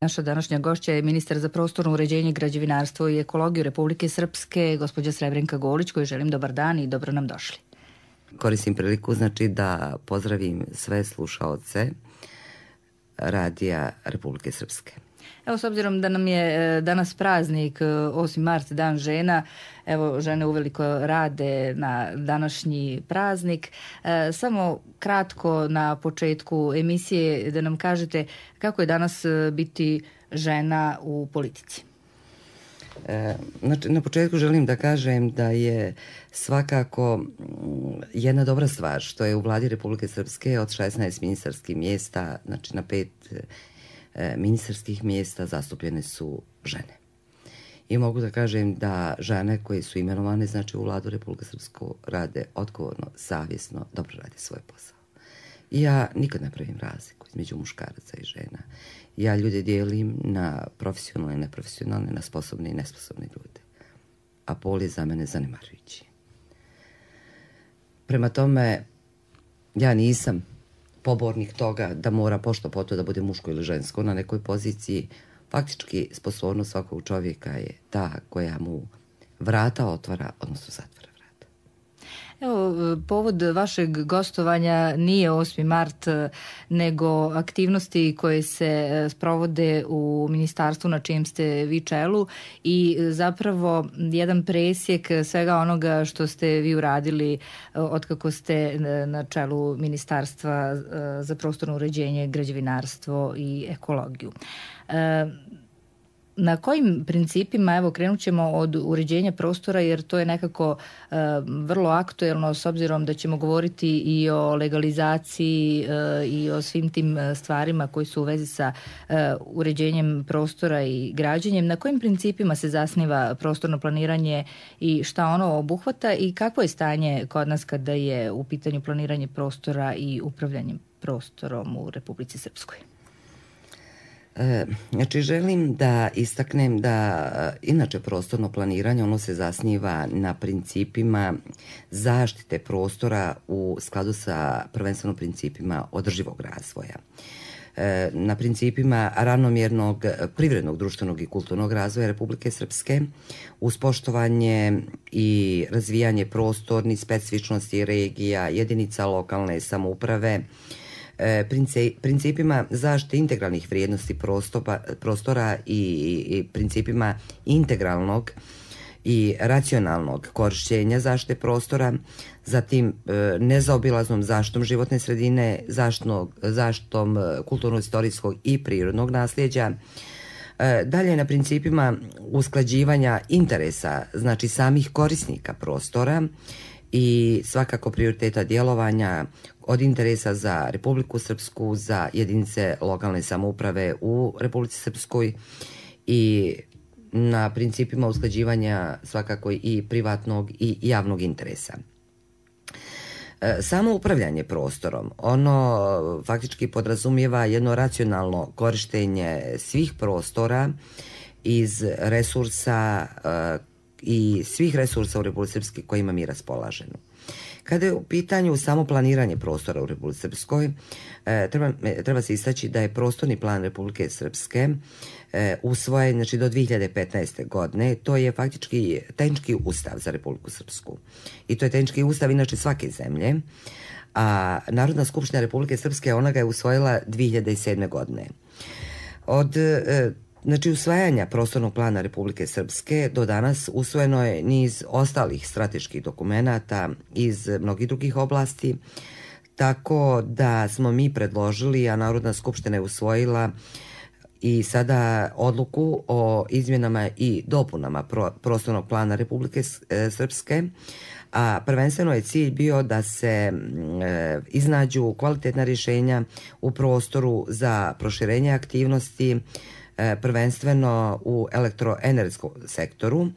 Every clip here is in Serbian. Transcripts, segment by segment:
Naša današnja gošća je ministar za prostorno uređenje, građevinarstvo i ekologiju Republike Srpske, gospođa Srebrenka Golić, kojoj želim dobar dan i dobro nam došli. Koristim priliku da pozdravim sve slušaoce Radija Republike Srpske. Evo, s obzirom da nam je danas praznik, 8. mart, dan žena, evo, žene uveliko rade na današnji praznik. Samo kratko na početku emisije da nam kažete kako je danas biti žena u politici. Na početku želim da kažem da je svakako jedna dobra stvar što je u vladi Republike Srpske od 16 ministarskih mjesta, znači na 5 ministarskih mjesta zastupljene su žene. I mogu da kažem da žene koje su imenovane, znači u vladu Republike Srpske, rade odgovorno, savjesno, dobro rade svoj posao. I ja nikad ne pravim razliku između muškaraca i žena. Ja ljude dijelim na profesionalne i neprofesionalne, na sposobne i nesposobne ljude. A pol je za mene zanemarujući. Prema tome, ja nisam pobornik toga da mora pošto po to da bude muško ili žensko na nekoj poziciji. Faktički, sposobnost svakog čovjeka je ta koja mu vrata otvara, odnosno zatvara vrata. Evo, povod vašeg gostovanja nije 8. mart, nego aktivnosti koje se sprovode u ministarstvu na čijem ste vi čelu i zapravo jedan presjek svega onoga što ste vi uradili otkako ste na čelu Ministarstva za prostorno uređenje, građevinarstvo i ekologiju. Na kojim principima, evo krenut ćemo od uređenja prostora jer to je nekako vrlo aktuelno s obzirom da ćemo govoriti i o legalizaciji i o svim tim stvarima koji su u vezi sa uređenjem prostora i građenjem. Na kojim principima se zasniva prostorno planiranje i šta ono obuhvata i kakvo je stanje kod nas kada je u pitanju planiranje prostora i upravljanje prostorom u Republici Srpskoj? Znači, želim da istaknem da inače prostorno planiranje ono se zasniva na principima zaštite prostora u skladu sa prvenstveno principima održivog razvoja. Na principima ravnomjernog privrednog, društvenog i kulturnog razvoja Republike Srpske uz poštovanje i razvijanje prostornih specifičnosti regija, jedinica lokalne samouprave, principima zaštite integralnih vrijednosti prostora i principima integralnog i racionalnog korišćenja zaštite prostora, zatim nezaobilaznom zaštitom životne sredine, zaštitom kulturno-istorijskog i prirodnog nasljeđa, dalje na principima usklađivanja interesa, znači samih korisnika prostora i svakako prioriteta djelovanja od interesa za Republiku Srpsku, za jedinice lokalne samouprave u Republici Srpskoj i na principima usklađivanja svakako i privatnog i javnog interesa. Samo upravljanje prostorom, ono faktički podrazumijeva jedno racionalno korištenje svih prostora iz resursa i svih resursa u Republici Srpskoj kojima mi raspolažemo. Kada je u pitanju samo planiranje prostora u Republici Srpskoj, treba se istaći da je prostorni plan Republike Srpske usvojen znači, do 2015. godine. To je faktički tehnički ustav za Republiku Srpsku. I to je tehnički ustav inače svake zemlje. A Narodna skupština Republike Srpske ona ga je usvojila 2007. godine. Od Znači, usvajanja prostornog plana Republike Srpske do danas usvojeno je niz ostalih strateških dokumenata iz mnogih drugih oblasti, tako da smo mi predložili, a Narodna skupština je usvojila i sada odluku o izmjenama i dopunama prostornog plana Republike Srpske, a prvenstveno je cilj bio da se iznađu kvalitetna rješenja u prostoru za proširenje aktivnosti, prvenstveno u elektroenergetskom sektoru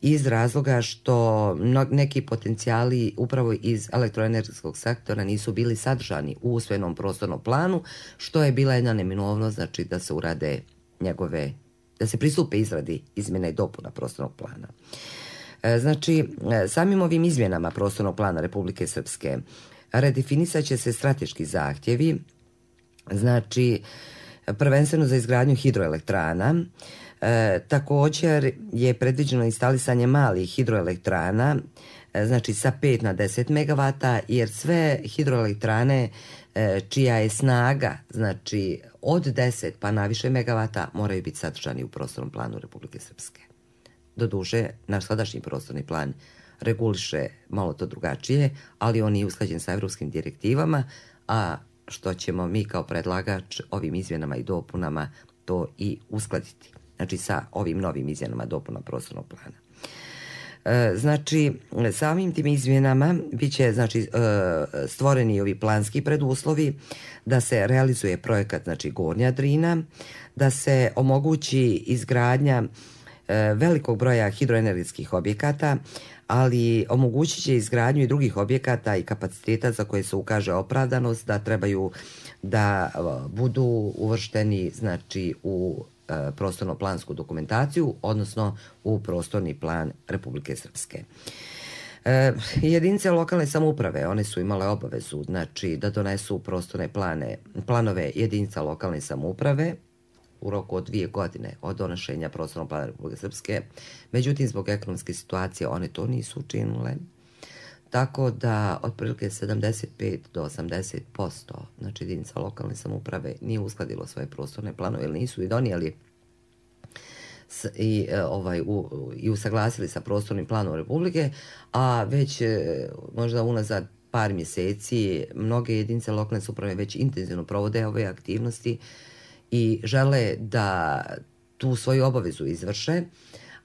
iz razloga što neki potencijali upravo iz elektroenergetskog sektora nisu bili sadržani u usvojenom prostornom planu, što je bila jedna neminovnost, znači da se urade da se pristupe izradi izmjena i dopuna prostornog plana. Znači, samim ovim izmjenama prostornog plana Republike Srpske redefinisat će se strateški zahtjevi, znači prvenstveno za izgradnju hidroelektrana. Također je predviđeno instalisanje malih hidroelektrana, znači sa 5 na 10 megavata, jer sve hidroelektrane čija je snaga, znači od 10 pa naviše megavata, moraju biti sadržani u prostornom planu Republike Srpske. Doduše, naš sadašnji prostorni plan reguliše malo to drugačije, ali on je usklađen sa evropskim direktivama, a što ćemo mi kao predlagač ovim izmjenama i dopunama to i uskladiti. Znači sa ovim novim izmjenama dopuna prostornog plana. Znači, samim tim izmjenama bit će stvoreni ovi planski preduslovi da se realizuje projekat, znači Gornja Drina, da se omogući izgradnja velikog broja hidroenergetskih objekata, ali omogućit će izgradnju i drugih objekata i kapaciteta za koje se ukaže opravdanost da trebaju da budu uvršteni, znači, u prostorno-plansku dokumentaciju, odnosno u prostorni plan Republike Srpske. Jedinice lokalne samouprave, one su imale obavezu, znači, da donesu prostorne planove jedinica lokalne samouprave u roku od 2 godine od donošenja prostornog plana Republike Srpske. Međutim, zbog ekonomske situacije one to nisu učinile. Tako da otprilike 75 do 80%, znači jedinica lokalne samouprave nije uskladilo svoje prostorne planove ili nisu i donijeli i usaglasili sa prostornim planom Republike, a već možda unazad par mjeseci mnoge jedinice lokalne samouprave već intenzivno provode ove aktivnosti i žele da tu svoju obavezu izvrše,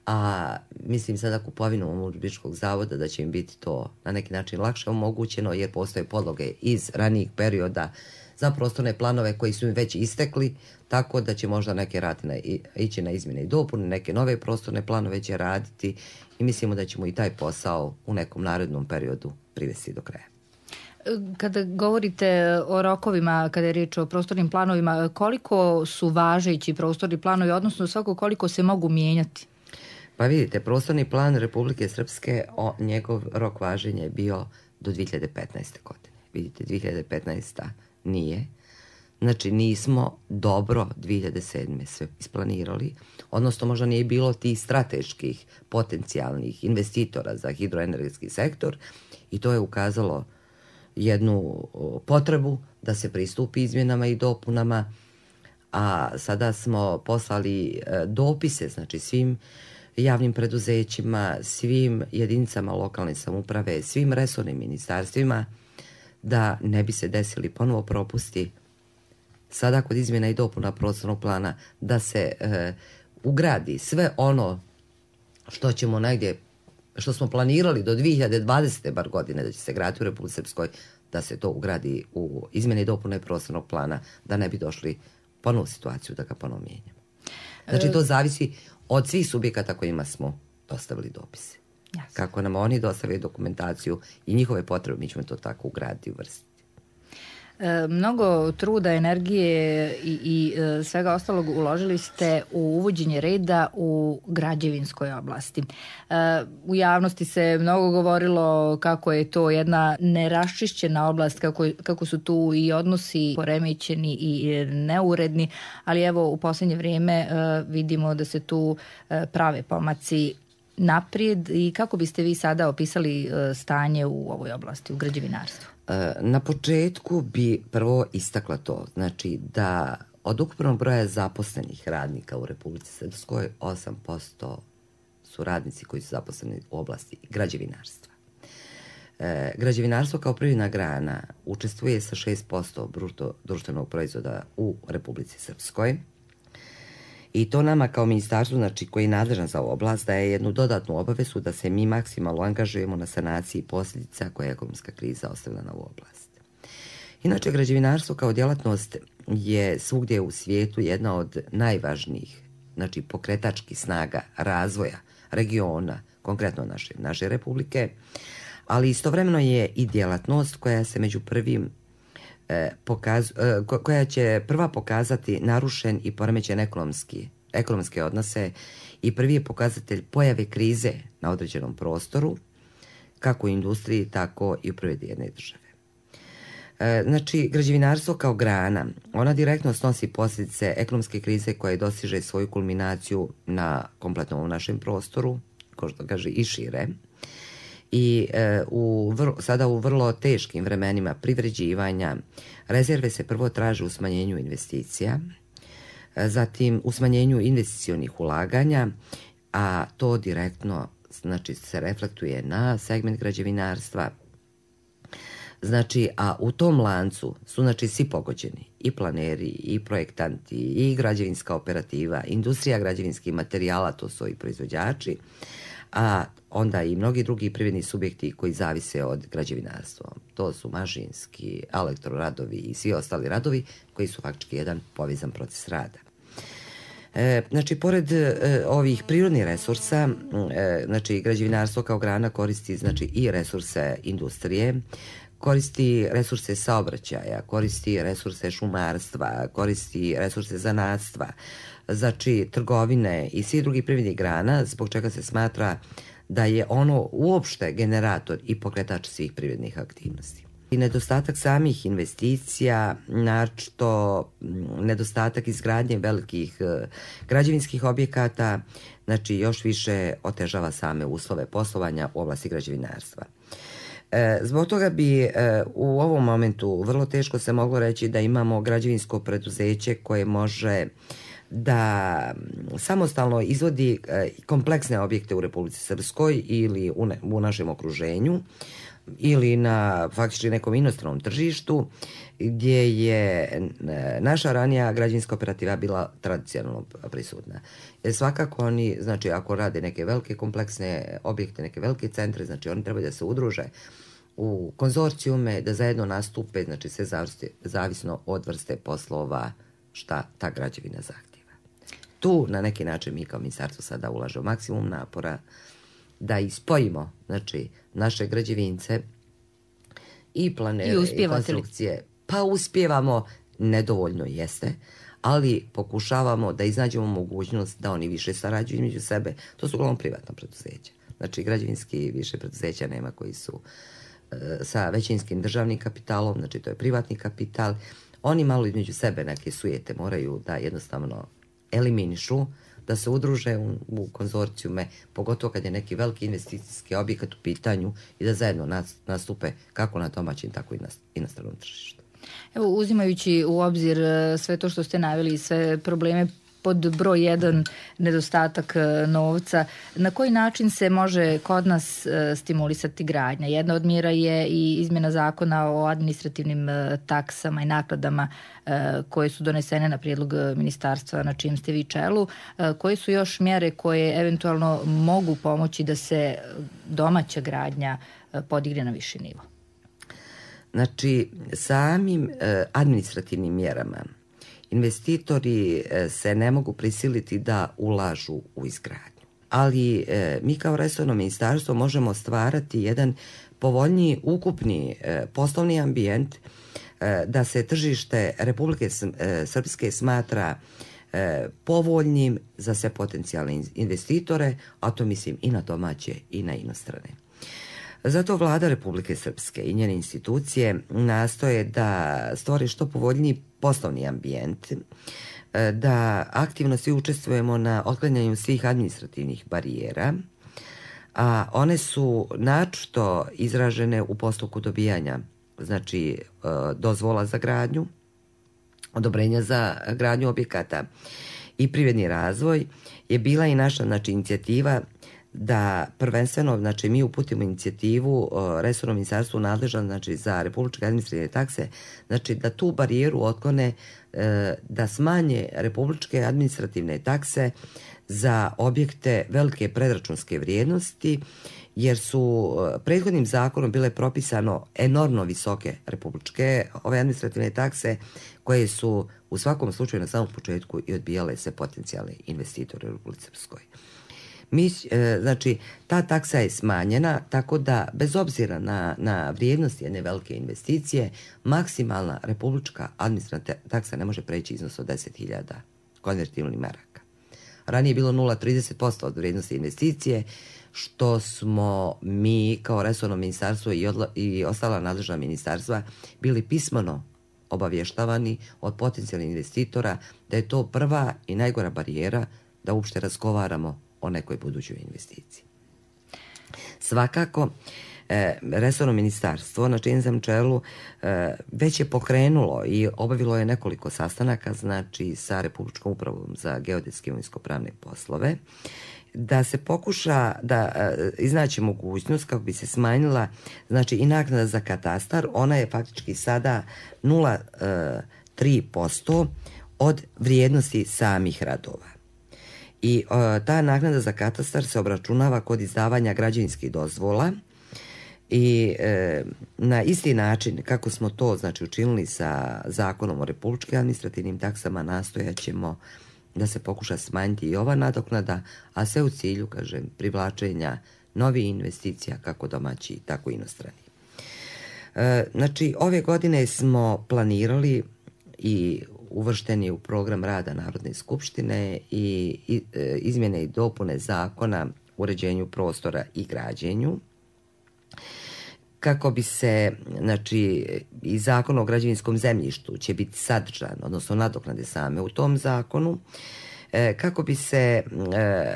a mislim sada kupovinom Republičkog zavoda da će im biti to na neki način lakše omogućeno, jer postoje podloge iz ranijih perioda za prostorne planove koji su im već istekli, tako da će možda neke ići na izmjene i dopune, neke nove prostorne planove će raditi i mislimo da ćemo i taj posao u nekom narednom periodu privesti do kraja. Kada govorite o rokovima, kada je riječ o prostornim planovima, koliko su važeći prostorni planovi, odnosno svako koliko se mogu mijenjati? Pa vidite, prostorni plan Republike Srpske, njegov rok važenja je bio do 2015. godine. Vidite, 2015. nije. Znači, nismo dobro 2007. sve isplanirali, odnosno možda nije bilo tih strateških potencijalnih investitora za hidroenergetski sektor i to je ukazalo jednu potrebu da se pristupi izmjenama i dopunama, a sada smo poslali dopise, znači svim javnim preduzećima, svim jedinicama lokalne samouprave, svim resornim ministarstvima, da ne bi se desili ponovo propusti sada kod izmjena i dopuna prostornog plana, da se ugradi sve ono što ćemo negdje, što smo planirali do 2020. bar godine da će se graditi u Republici Srpskoj, da se to ugradi u izmjene i dopune prostornog plana, da ne bi došli ponovu situaciju da ga ponovo mijenjamo. Znači, to zavisi od svih subjekata kojima smo dostavili dopise. Jasne. Kako nam oni dostavili dokumentaciju i njihove potrebe, mi ćemo to tako ugraditi i uvrstiti. Mnogo truda, energije i svega ostalog uložili ste u uvođenje reda u građevinskoj oblasti. U javnosti se mnogo govorilo kako je to jedna neraščišćena oblast, kako su tu i odnosi poremećeni i neuredni, ali evo u posljednje vrijeme vidimo da se tu prave pomaci naprijed. I kako biste vi sada opisali stanje u ovoj oblasti, u građevinarstvu? Na početku bi prvo istakla to, znači da od ukupnog broja zaposlenih radnika u Republici Srpskoj 8% su radnici koji su zaposleni u oblasti građevinarstva. Građevinarstvo kao privredna grana učestvuje sa 6% bruto društvenog proizvoda u Republici Srpskoj. I to nama kao ministarstvu, znači koji je nadležan za ovu oblast, daje jednu dodatnu obavezu da se mi maksimalno angažujemo na sanaciji posljedica koje je ekonomska kriza ostavila na ovu oblast. Inače, građevinarstvo kao djelatnost je svugdje u svijetu jedna od najvažnijih, znači pokretačkih snaga razvoja regiona, konkretno naše republike, ali istovremeno je i djelatnost koja se među prvim koja će prva pokazati narušen i poremećen ekonomske odnose i prvi je pokazatelj pojave krize na određenom prostoru, kako u industriji, tako i u privredi jedne države. Znači, građevinarstvo kao grana, ona direktno snosi posljedice ekonomske krize koja dosiže svoju kulminaciju na kompletnom našem prostoru, ko što kaže i šire. I sada u vrlo teškim vremenima privređivanja rezerve se prvo traže u smanjenju investicija, zatim u smanjenju investicionih ulaganja, a to direktno znači se reflektuje na segment građevinarstva. Znači, a u tom lancu su znači svi pogođeni, i planeri, i projektanti, i građevinska operativa, industrija građevinskih materijala, to su i proizvođači, a onda i mnogi drugi privredni subjekti koji zavise od građevinarstva. To su mašinski, elektroradovi i svi ostali radovi koji su faktički jedan povezan proces rada. Znači, pored ovih prirodnih resursa, znači građevinarstvo kao grana koristi znači i resurse industrije, koristi resurse saobraćaja, koristi resurse šumarstva, koristi resurse zanatstva, znači trgovine i svih drugih privrednih grana, zbog čega se smatra da je ono uopšte generator i pokretač svih privrednih aktivnosti. I nedostatak samih investicija, naročito nedostatak izgradnje velikih građevinskih objekata, znači još više otežava same uslove poslovanja u oblasti građevinarstva. Zbog toga bi u ovom momentu vrlo teško se moglo reći da imamo građevinsko preduzeće koje može da samostalno izvodi kompleksne objekte u Republici Srpskoj ili u našem okruženju ili na faktički nekom inostranom tržištu gdje je naša ranija građevinska operativa bila tradicionalno prisutna. Jer svakako oni, znači ako rade neke velike kompleksne objekte, neke velike centre, znači oni trebaju da se udruže u konzorcijume, da zajedno nastupe, znači sve zavisno od vrste poslova šta ta građevina zahtjeva. Tu na neki način mi kao ministarstvo sada ulažemo maksimum napora da ispojimo znači, naše građevince i planere i konstrukcije. Pa uspijevamo, nedovoljno jeste, ali pokušavamo da iznađemo mogućnost da oni više sarađuju među sebe. To su uglavnom privatna preduzeća. Znači građevinski više preduzeća nema koji su sa većinskim državnim kapitalom, znači to je privatni kapital. Oni malo između sebe neke sujete moraju da jednostavno eliminišu, da se udruže u konzorcijume, pogotovo kad je neki veliki investicijski objekat u pitanju i da zajedno nastupe kako na domaćim, tako i na stranom tržištu. Evo, uzimajući u obzir sve to što ste naveli i sve probleme pod broj 1 nedostatak novca, na koji način se može kod nas stimulisati gradnja? Jedna od mjera je i izmjena zakona o administrativnim taksama i nakladama koje su donesene na prijedlog ministarstva na čijem ste vi čelu. Koje su još mjere koje eventualno mogu pomoći da se domaća gradnja podigne na viši nivo? Znači, samim administrativnim mjerama investitori se ne mogu prisiliti da ulažu u izgradnju. Ali mi kao resorno ministarstvo možemo stvarati jedan povoljniji ukupni poslovni ambijent da se tržište Republike Srpske smatra povoljnim za sve potencijalne investitore, a to mislim i na domaće i na inostrane. Zato vlada Republike Srpske i njene institucije nastoje da stvore što povoljniji poslovni ambijent, da aktivno svi učestvujemo na otklanjanju svih administrativnih barijera, a one su naročito izražene u postupku dobijanja, znači dozvola za gradnju, odobrenja za gradnju objekata i privredni razvoj je bila i naša znači, inicijativa da prvenstveno, znači mi uputimo inicijativu resornom ministarstvu nadležan znači, za republičke administrativne takse, znači da tu barijeru otklone, da smanje republičke administrativne takse za objekte velike predračunske vrijednosti, jer su prethodnim zakonom bile propisano enormno visoke republičke ove administrativne takse koje su u svakom slučaju na samom početku i odbijale se potencijalni investitori u Republici Srpskoj. Znači, ta taksa je smanjena, tako da bez obzira na vrijednost jedne velike investicije, maksimalna republička administrativna taksa ne može preći iznos od 10.000 konvertibilnih maraka. ranije bilo 0,30% od vrijednosti investicije, što smo mi kao resorno ministarstvo i ostala nadležna ministarstva bili pismeno obavještavani od potencijalnih investitora da je to prva i najgora barijera da uopšte razgovaramo o nekoj budućoj investiciji. Svakako, resorno ministarstvo na čijem sam čelu već je pokrenulo i obavilo je nekoliko sastanaka, znači sa Republičkom upravom za geodetske i imovinsko-pravne poslove, da se pokuša da iznaći mogućnost kako bi se smanjila, znači, i naknada za katastar. Ona je faktički sada 0,3% od vrijednosti samih radova. I ta naknada za katastar se obračunava kod izdavanja građevinskih dozvola i na isti način kako smo to, znači, učinili sa Zakonom o republičkim administrativnim taksama, nastojaćemo da se pokuša smanjiti i ova nadoknada, a sve u cilju, kažem, privlačenja novih investicija, kako domaći, tako i inostrani. Znači, ove godine smo planirali i uvršteni u program rada Narodne skupštine i izmjene i dopune zakona o uređenju prostora i građenju, kako bi se, znači, i Zakon o građevinskom zemljištu će biti sadržan, odnosno nadoknade same u tom zakonu, kako bi se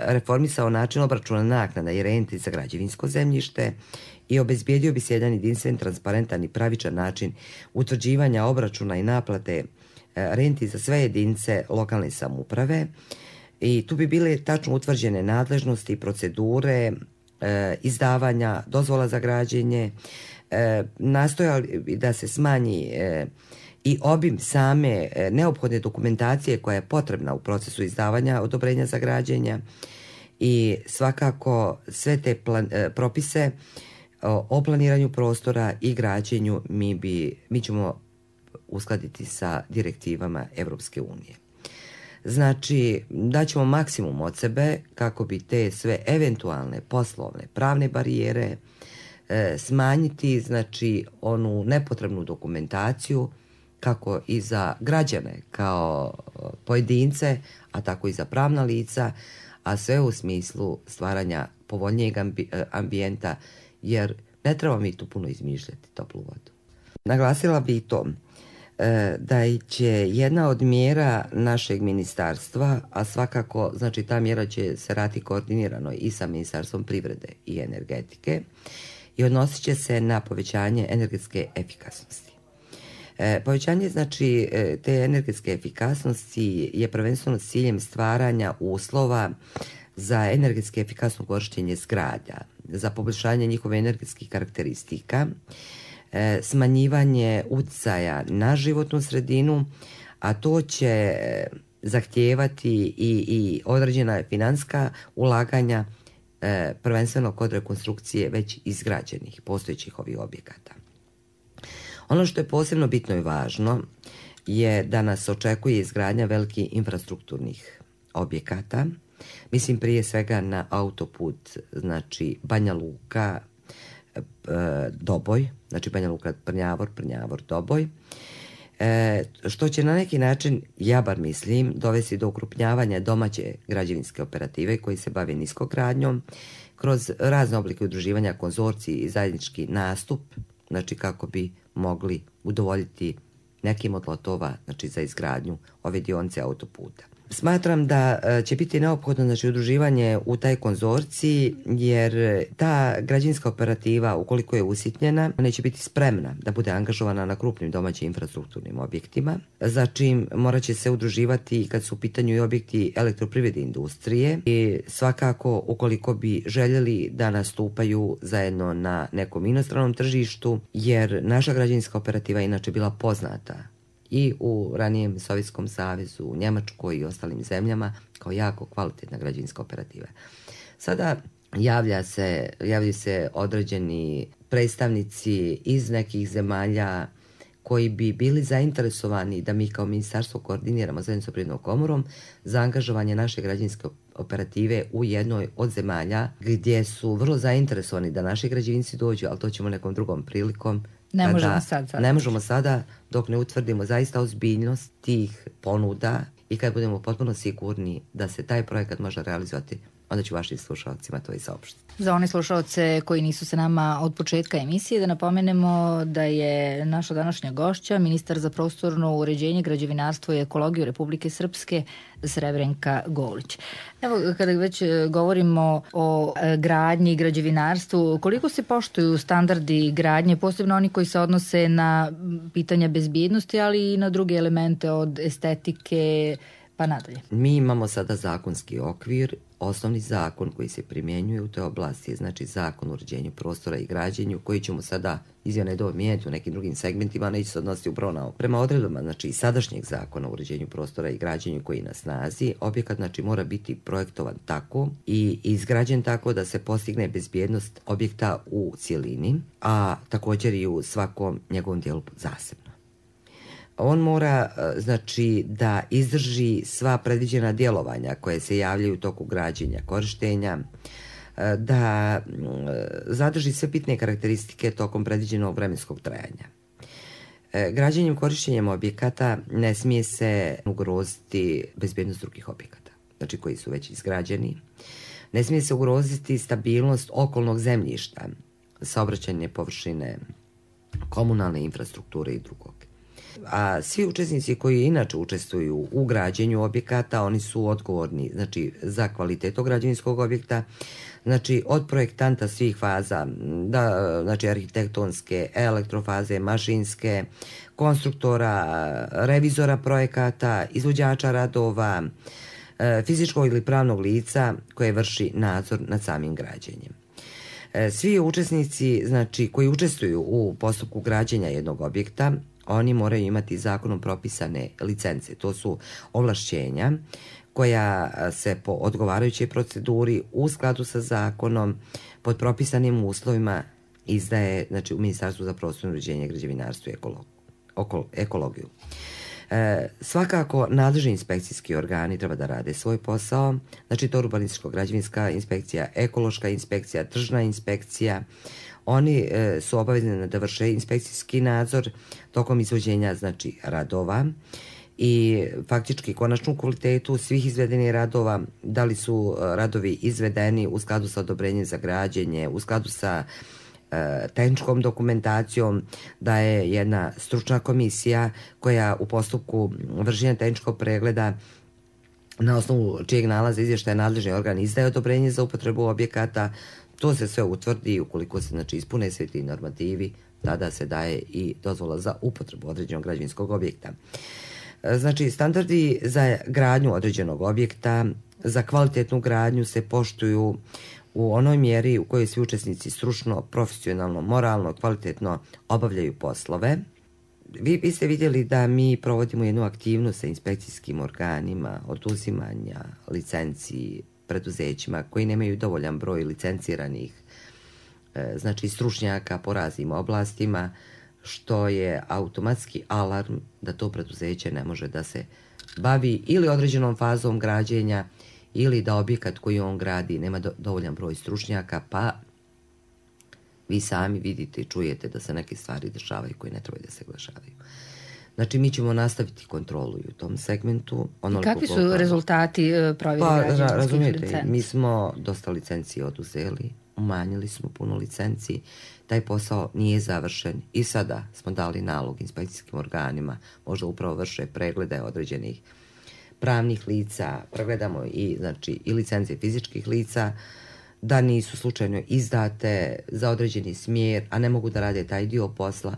reformisao način obračuna naknada i renti za građevinsko zemljište i obezbijedio bi se jedan jedinstven, transparentan i pravičan način utvrđivanja obračuna i naplate renti za sve jedinice lokalne samouprave, i tu bi bile tačno utvrđene nadležnosti i procedure izdavanja dozvola za građenje, nastojali da se smanji i obim same neophodne dokumentacije koja je potrebna u procesu izdavanja odobrenja za građenja, i svakako sve te propise o planiranju prostora i građenju mi ćemo uskladiti sa direktivama Evropske unije. Znači, daćemo maksimum od sebe kako bi te sve eventualne poslovne, pravne barijere smanjiti, znači onu nepotrebnu dokumentaciju, kako i za građane kao pojedince, a tako i za pravna lica, a sve u smislu stvaranja povoljnijeg ambijenta, jer ne treba mi tu puno izmišljati toplu vodu. Naglasila bi i to da će jedna od mjera našeg ministarstva, a svakako, znači, ta mjera će se raditi koordinirano i sa Ministarstvom privrede i energetike, i odnosit će se na povećanje energetske efikasnosti. Povećanje, znači, te energetske efikasnosti je prvenstveno s ciljem stvaranja uslova za energetski efikasno korištenje zgrada, za poboljšanje njihove energetskih karakteristika, smanjivanje uticaja na životnu sredinu, a to će zahtijevati i određena financijska ulaganja, prvenstveno kod rekonstrukcije već izgrađenih postojećih ovih objekata. Ono što je posebno bitno i važno je da nas očekuje izgradnja velikih infrastrukturnih objekata. Mislim prije svega na autoput, znači Banja Luka, Doboj, znači Banja Luka, Prnjavor, Doboj, što će na neki način, ja bar mislim, dovesti do ukrupnjavanja domaće građevinske operative koji se bave niskogradnjom kroz razne oblike udruživanja, konzorciji i zajednički nastup, znači kako bi mogli udovoljiti nekim od lotova, znači za izgradnju ove dionice autoputa. Smatram da će biti neophodno, znači, udruživanje u taj konzorciji, jer ta građevinska operativa, ukoliko je usitnjena, neće biti spremna da bude angažovana na krupnim domaćim infrastrukturnim objektima, za čim morat će se udruživati kad su u pitanju i objekti elektroprivrede industrije, i svakako ukoliko bi željeli da nastupaju zajedno na nekom inostranom tržištu, jer naša građevinska operativa inače bila poznata i u ranijem Sovjetskom savezu, u Njemačkoj i ostalim zemljama kao jako kvalitetna građevinska operativa. Sada javljaju se određeni predstavnici iz nekih zemalja koji bi bili zainteresovani da mi kao ministarstvo koordiniramo zajedno sa Privrednom komorom za angažovanje naše građevinske operative u jednoj od zemalja gdje su vrlo zainteresovani da naši građevinci dođu, ali to ćemo nekom drugom prilikom. Ne možemo sada dok ne utvrdimo zaista ozbiljnost tih ponuda i kad budemo potpuno sigurni da se taj projekat može realizovati, onda ću vašim slušalcima to i saopštiti. Za one slušalce koji nisu sa nama od početka emisije, da napomenemo da je naša današnja gošća ministar za prostorno uređenje, građevinarstvo i ekologiju Republike Srpske Srebrenka Golić. Evo, kada već govorimo o gradnji i građevinarstvu, koliko se poštuju standardi gradnje, posebno oni koji se odnose na pitanja bezbjednosti, ali i na druge elemente od estetike pa nadalje? Mi imamo sada zakonski okvir. Osnovni zakon koji se primjenjuje u toj oblasti je znači zakon o uređenju prostora i građenju, koji ćemo sada izmjene mijenjati u nekim drugim segmentima, neće se odnositi upravo na ovo. Prema odredbama znači sadašnjeg zakona o uređenju prostora i građenju koji je na snazi, objekat znači mora biti projektovan tako i izgrađen tako da se postigne bezbjednost objekta u cjelini, a također i u svakom njegovom dijelu zasebno. On mora znači da izdrži sva predviđena djelovanja koje se javljaju u toku građenja, korištenja, da zadrži sve bitne karakteristike tokom predviđenog vremenskog trajanja. Građenjem, korištenjem objekata ne smije se ugroziti bezbjednost drugih objekata, znači koji su već izgrađeni. Ne smije se ugroziti stabilnost okolnog zemljišta, saobraćajne površine, komunalne infrastrukture i drugog. A svi učesnici koji inače učestvuju u građenju objekata, oni su odgovorni znači za kvalitetu građevinskog objekta, znači od projektanta svih faza, znači arhitektonske, elektrofaze, mašinske, konstruktora, revizora projekata, izvođača radova, fizičkog ili pravnog lica koje vrši nadzor nad samim građenjem. Svi učesnici znači koji učestvuju u postupku građenja jednog objekta, oni moraju imati zakonom propisane licence. To su ovlašćenja koja se po odgovarajućoj proceduri u skladu sa zakonom pod propisanim uslovima izdaje znači, u Ministarstvu za prostorno uređenje, građevinarstvo i ekologiju. Svakako nadležni inspekcijski organi treba da rade svoj posao, znači to urbanističko-građevinska inspekcija, ekološka inspekcija, tržna inspekcija. Oni su obavezni da vrše inspekcijski nadzor tokom izvođenja znači radova i faktički konačnu kvalitetu svih izvedenih radova, da li su radovi izvedeni u skladu sa odobrenjem za građenje, u skladu sa tehničkom dokumentacijom, da je jedna stručna komisija koja u postupku vršenja tehničkog pregleda na osnovu čijeg nalaza izvještaja nadležni organ izdaje odobrenje za upotrebu objekata. To se sve utvrdi, ukoliko se znači, ispune svi ti normativi, tada se daje i dozvola za upotrebu određenog građevinskog objekta. Znači, standardi za gradnju određenog objekta, za kvalitetnu gradnju se poštuju u onoj mjeri u kojoj svi učesnici stručno, profesionalno, moralno, kvalitetno obavljaju poslove. Vi ste vidjeli da mi provodimo jednu aktivnost sa inspekcijskim organima, oduzimanja licenciji preduzećima koji nemaju dovoljan broj licenciranih znači stručnjaka po raznim oblastima, što je automatski alarm da to preduzeće ne može da se bavi ili određenom fazom građenja ili da objekat koji on gradi nema dovoljan broj stručnjaka, pa vi sami vidite i čujete da se neke stvari dešavaju koje ne trebaju da se dešavaju. Znači, mi ćemo nastaviti kontrolu u tom segmentu. I kakvi su rezultati provjere građevinskih licenci? Mi smo dosta licenci oduzeli, umanjili smo puno licenci, taj posao nije završen i sada smo dali nalog inspekcijskim organima, možda upravo vrše preglede određenih pravnih lica, pregledamo i, znači, i licence fizičkih lica, da nisu slučajno izdate za određeni smjer, a ne mogu da rade taj dio posla.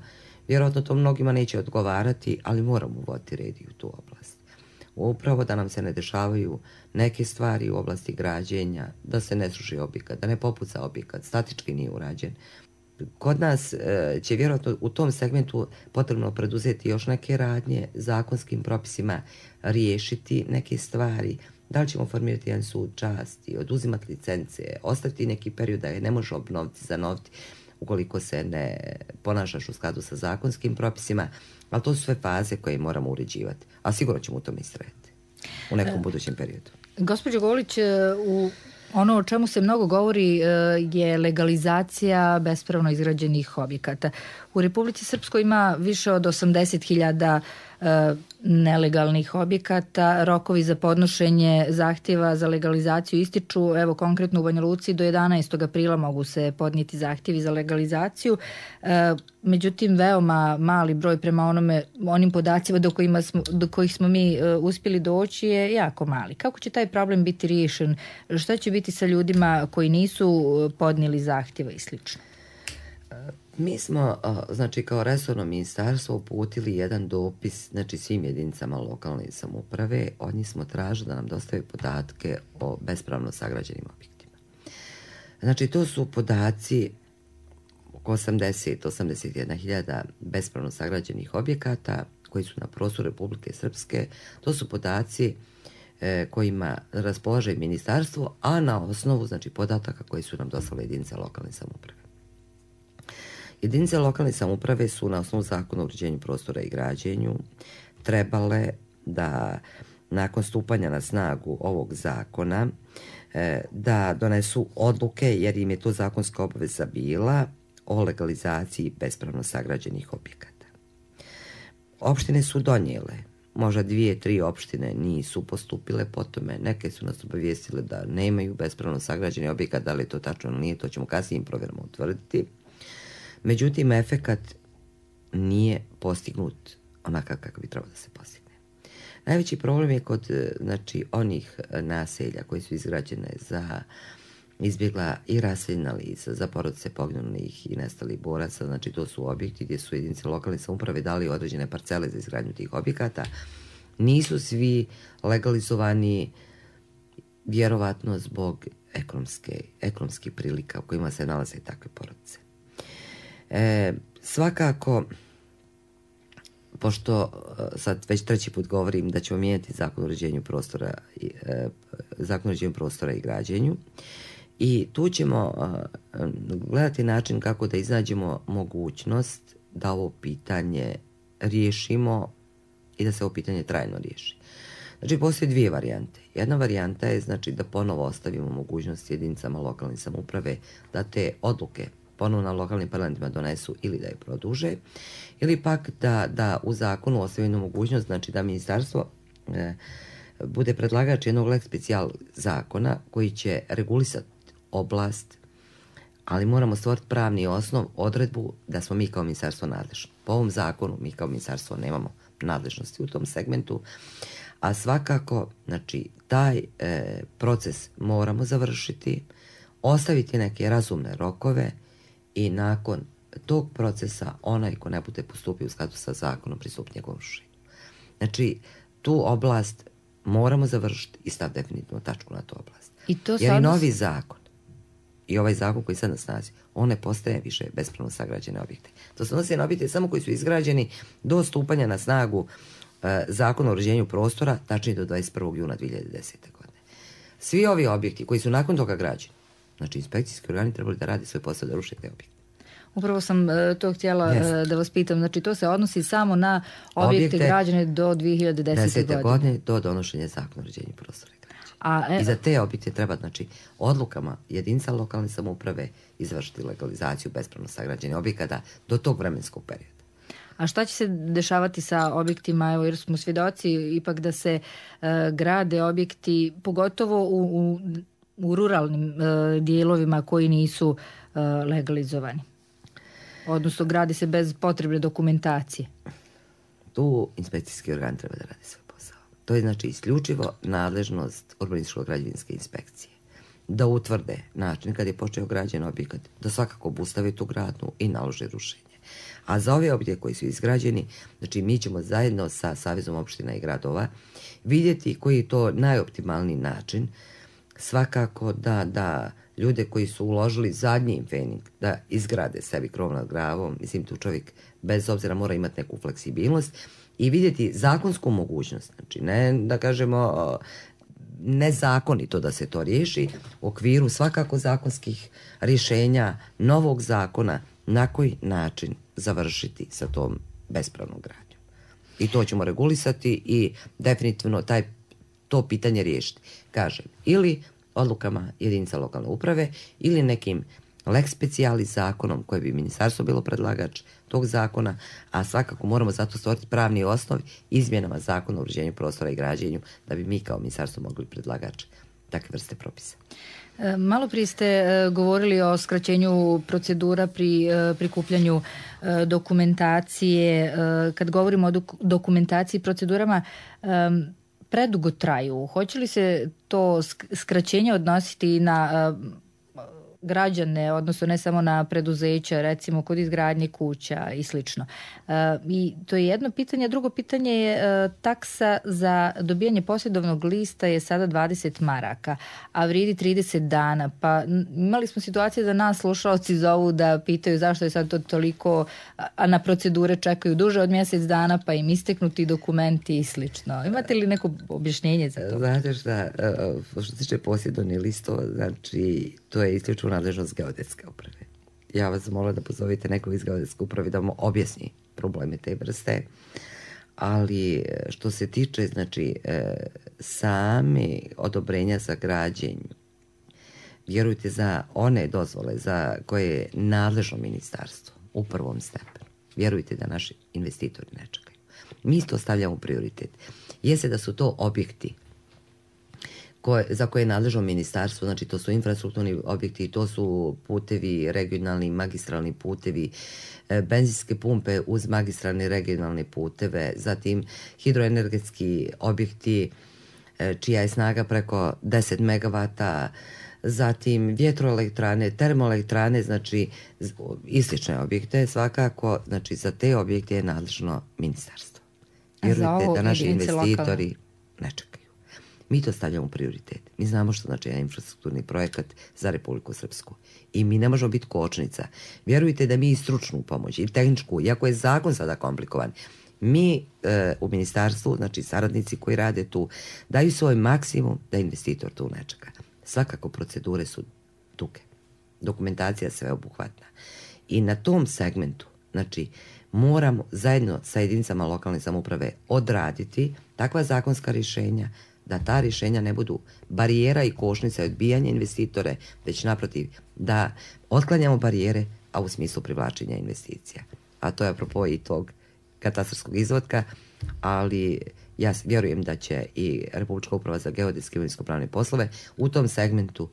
Vjerojatno to mnogima neće odgovarati, ali moramo uvoditi red i u tu oblast. Upravo da nam se ne dešavaju neke stvari u oblasti građenja, da se ne sruši objekat, da ne popuca objekat, statički nije urađen. Kod nas će vjerojatno u tom segmentu potrebno preduzeti još neke radnje, zakonskim propisima riješiti neke stvari. Da li ćemo formirati jedan sud časti, oduzimati licence, ostaviti neki period da je ne može obnoviti, zanoviti, ukoliko se ne ponašaš u skladu sa zakonskim propisima, ali to su sve faze koje moramo uređivati. A sigurno ćemo u tome istrajati u nekom budućem periodu. Gospođo Golić, ono o čemu se mnogo govori je legalizacija bespravno izgrađenih objekata. U Republici Srpskoj ima više od 80.000 nelegalnih objekata. Rokovi za podnošenje zahtjeva za legalizaciju ističu, evo konkretno u Banja Luci, do 11. aprila mogu se podnijeti zahtjevi za legalizaciju. Međutim, veoma mali broj prema onim podacima do kojih smo mi uspjeli doći je jako mali. Kako će taj problem biti riješen? Šta će biti sa ljudima koji nisu podnijeli zahtjeva i slično? Mi smo, znači, kao resorno ministarstvo uputili jedan dopis, znači, svim jedinicama lokalne samouprave. Od njih smo tražili da nam dostave podatke o bespravno sagrađenim objektima. Znači, to su podaci oko 80-81 hiljada bespravno sagrađenih objekata koji su na prostoru Republike Srpske. To su podaci kojima raspolaže ministarstvo, a na osnovu, znači, podataka koji su nam dostavile jedinice lokalne samouprave. Jedinice lokalne samouprave su na osnovu zakona o uređenju prostora i građenju trebale da nakon stupanja na snagu ovog zakona da donesu odluke, jer im je to zakonska obaveza bila, o legalizaciji bespravno sagrađenih objekata. Opštine su donijele, možda 2-3 opštine nisu postupile po tome, neke su nas obavijestile da nemaju bespravno sagrađeni objekat, da li je to tačno ili nije, to ćemo kasnijim provjerama utvrditi. Međutim, efekat nije postignut onakav kako bi trebalo da se postigne. Najveći problem je kod, znači, onih naselja koji su izgrađene za izbjegla i raseljena lica, za porodice poginulih i nestalih boraca. Znači, to su objekti gdje su jedinice lokalne samouprave dali određene parcele za izgradnju tih objekata. Nisu svi legalizovani, vjerovatno zbog ekonomskih prilika u kojima se nalaze takve porodice. Svakako, pošto sad već treći put govorim da ćemo mijenjati zakon o uređenju prostora i građenju, i tu ćemo gledati način kako da iznađemo mogućnost da ovo pitanje riješimo i da se ovo pitanje trajno riješi. Znači, postoje dvije varijante. Jedna varijanta je, znači, da ponovo ostavimo mogućnost jedinicama lokalne samouprave da te odluke ponovno na lokalnim parlamentima donesu ili da je produže, ili pak da u zakonu ostavimo mogućnost, znači, da ministarstvo bude predlagač jednog lex special zakona koji će regulisati oblast, ali moramo stvoriti pravni osnov, odredbu da smo mi kao ministarstvo nadležni. Po ovom zakonu mi kao ministarstvo nemamo nadležnosti u tom segmentu, a svakako, znači, taj proces moramo završiti, ostaviti neke razumne rokove i nakon tog procesa onaj ko ne bude postupio u skladu sa zakonom pristupi njegovom rušenju. Znači, tu oblast moramo završiti i staviti definitivno tačku na tu oblast. Jer i novi zakon i ovaj zakon koji sad na snazi, on ne postaje više bespravno sagrađene objekte. To se odnosi na objekte samo koji su izgrađeni do stupanja na snagu zakona o uređenju prostora, tačnije do 21. juna 2010. godine. Svi ovi objekti koji su nakon toga građeni, znači, inspekcijski organi trebali da radi svoj posao da ruše te objekte. Upravo sam to htjela da vas pitam. Znači, to se odnosi samo na objekte građene do 2010. godine. Do donošenja zakona o uređenju prostora i građenja. I za te objekte treba, znači, odlukama jedinica lokalne samouprave izvršiti legalizaciju bespravno sagrađenih objekata do tog vremenskog perioda. A šta će se dešavati sa objektima, evo, jer smo svjedoci ipak da se grade objekti, pogotovo u ruralnim dijelovima koji nisu legalizovani? Odnosno, gradi se bez potrebne dokumentacije. Tu inspekcijski organ treba da radi svoj posao. To je, znači, isključivo nadležnost urbanističko-građevinske inspekcije. Da utvrde način kad je počeo građen objekat, da svakako obustave tu gradnju i nalože rušenje. A za ove objekte koji su izgrađeni, znači, mi ćemo zajedno sa Savezom opština i gradova vidjeti koji je to najoptimalniji način, svakako da ljude koji su uložili zadnji fening da izgrade sebi krov nad glavom, mislim, tu čovjek bez obzira mora imati neku fleksibilnost i vidjeti zakonsku mogućnost, znači, ne da kažemo nezakonito da se to riješi, u okviru svakako zakonskih rješenja novog zakona na koji način završiti sa tom bespravnom gradnjom. I to ćemo regulisati i definitivno to pitanje riješiti. Kažem, ili odlukama jedinica lokalne uprave ili nekim lex specialis zakonom koje bi ministarstvo bilo predlagač tog zakona, a svakako moramo zato stvoriti pravni osnov izmjenama zakona o uređenju prostora i građenju da bi mi kao ministarstvo mogli predlagač takve vrste propisa. Malo prije ste govorili o skraćenju procedura pri prikupljanju dokumentacije. Kad govorimo o dokumentaciji i procedurama, predugo traju. Hoće li se to skraćenje odnositi na građane, odnosno ne samo na preduzeća, recimo kod izgradnje kuća i slično. I to je jedno pitanje. Drugo pitanje je taksa za dobijanje posjedovnog lista je sada 20 maraka, a vridi 30 dana. Pa imali smo situacije da nas slušalci zovu da pitaju zašto je sad to toliko, a na procedure čekaju duže od mjesec dana, pa im isteknuti dokumenti i slično. Imate li neko objašnjenje za to? Znate šta, što se tiče posjedovnih listova, znači to je isključivo nadležnost geodetske uprave. Ja vas molim da pozovite nekog iz geodetske uprave da vam objasni probleme te vrste, ali što se tiče znači sami odobrenja za građenje, vjerujte za one dozvole za koje je nadležno ministarstvo u prvom stepenu, vjerujte da naši investitori ne čekaju. Mi to stavljamo u prioritet. Jeste da su to objekti za koje je nadležno ministarstvo, znači to su infrastrukturni objekti, to su putevi, regionalni, magistralni putevi, benzinske pumpe uz magistralne regionalne puteve, zatim hidroenergetski objekti čija je snaga preko 10 megavata, zatim vjetroelektrane, termoelektrane, znači i slične objekte, svakako, znači za te objekte je nadležno ministarstvo. Vjerujte da naši investitori ne čekaju. Mi to stavljamo u prioritet. Mi znamo što znači jedan infrastrukturni projekat za Republiku Srpsku. I mi ne možemo biti kočnica. Vjerujte da mi i stručnu pomoć, i tehničku, iako je zakon sada komplikovan, mi u ministarstvu, znači saradnici koji rade tu, daju svoj maksimum da investitor tu ne čeka. Svakako procedure su duge. Dokumentacija sveobuhvatna. I na tom segmentu, znači, moramo zajedno sa jedinicama lokalne samouprave odraditi takva zakonska rješenja da ta rješenja ne budu barijera i kočnica i odbijanje investitore, već naprotiv da otklanjamo barijere, a u smislu privlačenja investicija. A to je apropo i tog katastarskog izvodka, ali ja vjerujem da će i Republička uprava za geodetske i imovinsko-pravne poslove u tom segmentu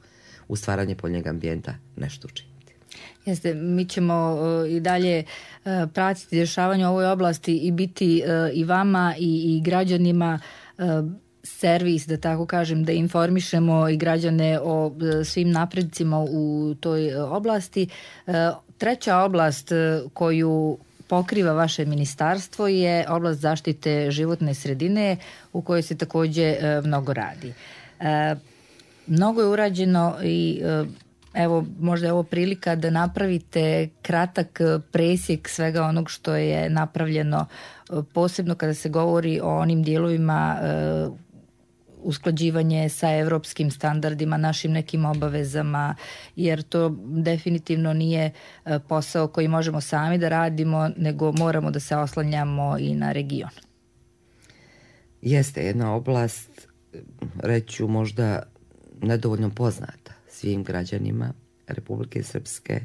u stvaranje poljnog ambijenta nešto učiniti. Jeste, mi ćemo i dalje pratiti dešavanje u ovoj oblasti i biti i vama i građanima servis, da tako kažem, da informišemo i građane o svim napredcima u toj oblasti. Treća oblast koju pokriva vaše ministarstvo je oblast zaštite životne sredine u kojoj se također mnogo radi. Mnogo je urađeno i evo, možda je ovo prilika da napravite kratak presjek svega onog što je napravljeno, posebno kada se govori o onim dijelovima usklađivanje sa evropskim standardima, našim nekim obavezama, jer to definitivno nije posao koji možemo sami da radimo, nego moramo da se oslanjamo i na region. Jeste jedna oblast, reću možda nedovoljno poznata svim građanima Republike Srpske,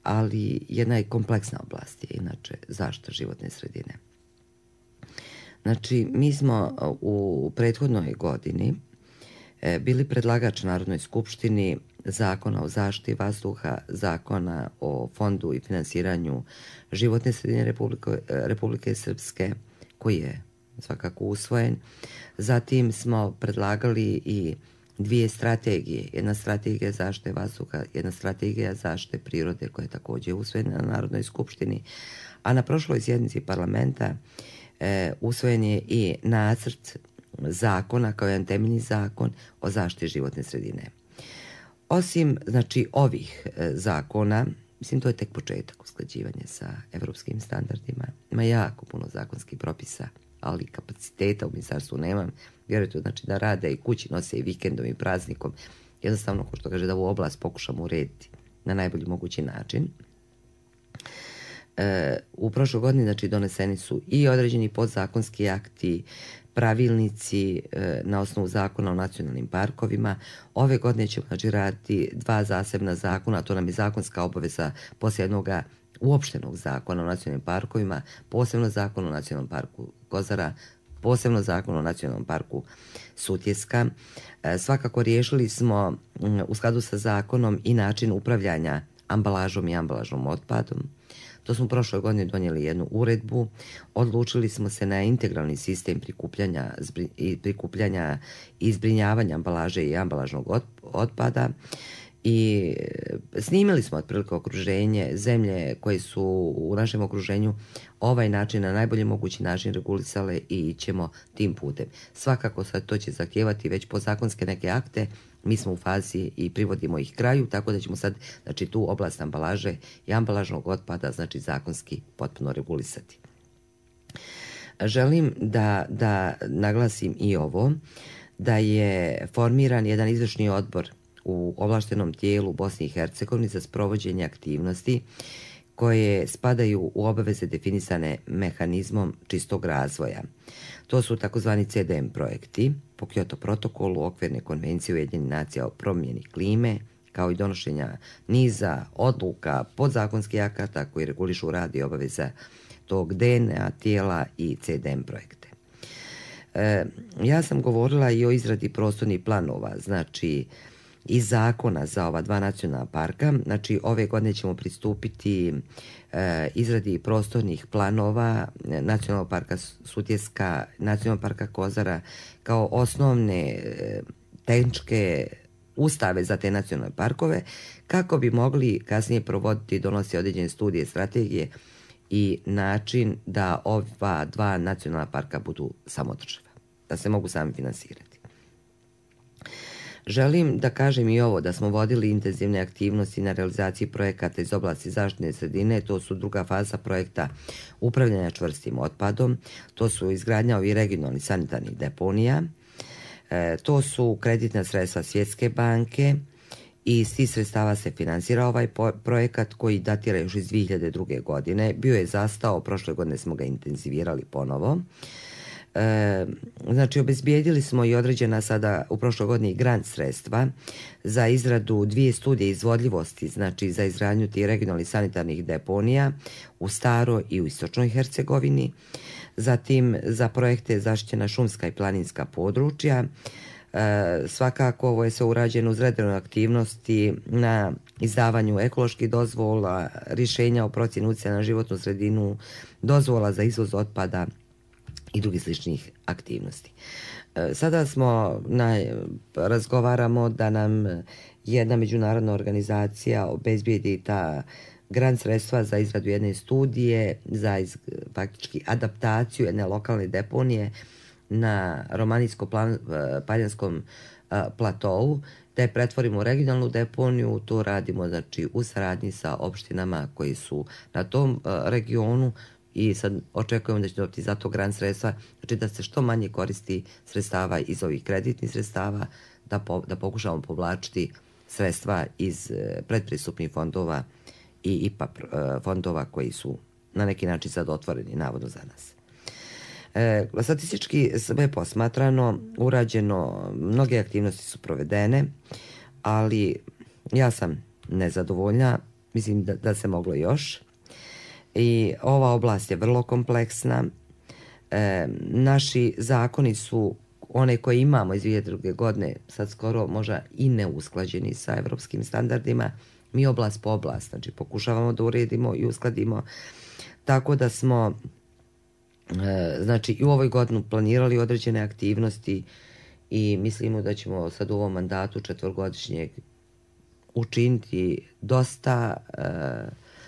ali jedna je kompleksna oblast je inače zaštita životne sredine. Znači, mi smo u prethodnoj godini bili predlagač Narodnoj skupštini Zakona o zaštiti vazduha, Zakona o fondu i finansiranju životne sredine Republike Srpske, koji je svakako usvojen. Zatim smo predlagali i dvije strategije. Jedna strategija zaštite vazduha, jedna strategija zaštite prirode koja je također usvojena na Narodnoj skupštini. A na prošloj sjednici parlamenta usvojen je i nacrt zakona kao jedan temeljni zakon o zaštiti životne sredine. Osim znači ovih zakona, mislim to je tek početak usklađivanja sa evropskim standardima. Ima jako puno zakonskih propisa, ali kapaciteta u ministarstvu nemam. Vjerujte znači da rade i kući nose i vikendom i praznikom. Jednostavno, ko što kaže, da ovu oblast pokušamo urediti na najbolji mogući način. U prošloj godini znači doneseni su i određeni podzakonski akti, pravilnici na osnovu zakona o nacionalnim parkovima. Ove godine ćemo raditi 2 zasebna zakona, to nam je zakonska obaveza poslije jednog uopštenog zakona o nacionalnim parkovima, posebno zakon o nacionalnom parku Kozara, posebno zakon o nacionalnom parku Sutjeska. Svakako riješili smo u skladu sa zakonom i način upravljanja ambalažom i ambalažnom otpadom. To smo prošle godine donijeli jednu uredbu, odlučili smo se na integralni sistem prikupljanja i zbrinjavanja ambalaže i ambalažnog otpada i snimili smo otprilike okruženje, zemlje koje su u našem okruženju ovaj način na najbolji mogući način regulisale i ćemo tim putem. Svakako sad to će zahtijevati već podzakonske neke akte, mi smo u fazi i privodimo ih kraju, tako da ćemo sad tu oblast ambalaže i ambalažnog otpada zakonski potpuno regulisati. Želim da naglasim i ovo, da je formiran jedan izvršni odbor u ovlaštenom tijelu Bosne i Hercegovine za sprovođenje aktivnosti koje spadaju u obaveze definisane mehanizmom čistog razvoja. To su takozvani CDM projekti po Kyoto protokolu, okvirne konvencije Ujedinjenih nacija o promjeni klime, kao i donošenja niza odluka podzakonskih akata koji regulišu rad i obaveza tog DNA tijela i CDM projekte. Ja sam govorila i o izradi prostornih planova, i zakona za ova 2 nacionalna parka. Ove godine ćemo pristupiti izradi prostornih planova Nacionalnog parka Sutjeska, Nacionalnog parka Kozara kao osnovne tehničke ustave za te nacionalne parkove, kako bi mogli kasnije provoditi i donositi određene studije, strategije i način da ova 2 nacionalna parka budu samodrživa, da se mogu sami finansirati. Želim da kažem i ovo, da smo vodili intenzivne aktivnosti na realizaciji projekata iz oblasti zaštitne sredine. To su druga faza projekta upravljanja čvrstim otpadom, to su izgradnja ovih regionalnih sanitarnih deponija, to su kreditna sredstva Svjetske banke i iz tih sredstava se finansira ovaj projekat koji datira još iz 2002. godine. Bio je zastao, prošle godine smo ga intenzivirali ponovo. Obezbijedili smo i određena sada u prošloj godini grant sredstva za izradu 2 studije izvodljivosti, za izgradnju tih regionalnih sanitarnih deponija u Staroj i u Istočnoj Hercegovini, zatim za projekte zaštićena šumska i planinska područja. Svakako ovo je sve urađeno uz redovne aktivnosti na izdavanju ekoloških dozvola, rješenja o procjeni utjecaja na životnu sredinu, dozvola za izvoz otpada i drugih sličnih aktivnosti. Sada razgovaramo da nam jedna međunarodna organizacija obezbijedi ta grant sredstva za izradu jedne studije, za faktički adaptaciju jedne lokalne deponije na romanijsko-paljanskom platovu, da je pretvorimo u regionalnu deponiju. To radimo u saradnji sa opštinama koji su na tom regionu i sad očekujemo da će dobiti za to grant sredstva, da se što manje koristi sredstava iz ovih kreditnih sredstava, da pokušamo povlačiti sredstva iz predpristupnih fondova i IPA fondova koji su na neki način sad otvoreni, navodno za nas. Statistički sve posmatrano, urađeno, mnoge aktivnosti su provedene, ali ja sam nezadovoljna, mislim da se moglo još. I ova oblast je vrlo kompleksna. Naši zakoni su, one koje imamo iz 2002. godine, sad skoro možda i neusklađeni sa evropskim standardima. Mi oblast po oblast, pokušavamo da uredimo i uskladimo. Tako da smo i u ovoj godinu planirali određene aktivnosti i mislimo da ćemo sad u ovom mandatu 4-godišnjeg učiniti dosta